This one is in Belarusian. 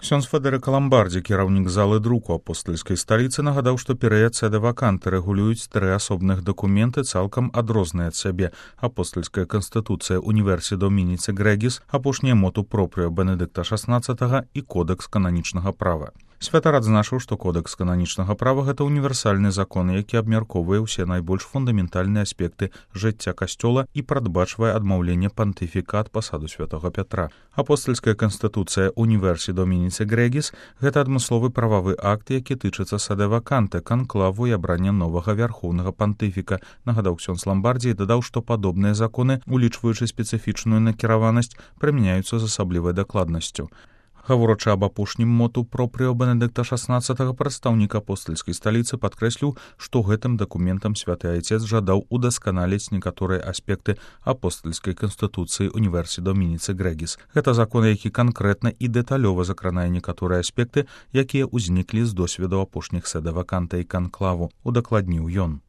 Ксёндз Федэрыка Ламбардзі, кіраўнік залы друку апостальскай сталіцы, нагадаў, што перыяд сэда ваканты рэгулююць 3 асобных дакументы цалкам адрозныя ад сябе: апостальская канстытуцыя Універсі Домініце Грегіс, апошняе моту пропрыо Бенедыкта XVI і кодэкс кананічнага права. Святар адзначыў, што кодэкс кананічнага права — гэта універсальны закон, які абмяркоўвае ўсе найбольш фундаментальныя аспекты жыцця касцёла і прадбачвае адмаўленне пантыфіка ад пасаду святога Пятра. Апостальская канстытуцыя Універсі Домініце Грегіс — гэта адмысловы прававы акт, які тычыцца сэда ваканты, канклаву і абрання новага вярхоўнага пантыфіка, нагадаў ксёндз Ламбардзі і дадаў, што падобныя законы, улічваючы спецыфічную накіраванасць, прымяняюцца з асаблівай дакладнасцю. Гаворачы аб апошнім моту пропрыо Бенедыкта XVI, прадстаўнік апостальскай сталіцы падкрэсліў, што гэтым дакументам святы айцец жадаў удасканаліць некаторыя аспекты апостальскай канстытуцыі Універсі Домініце Грегіс. Гэта закон, які канкрэтна і дэталёва закранае некаторыя аспекты, якія ўзніклі з досведу апошніх сэда ваканта і канклаву, удакладніў ён.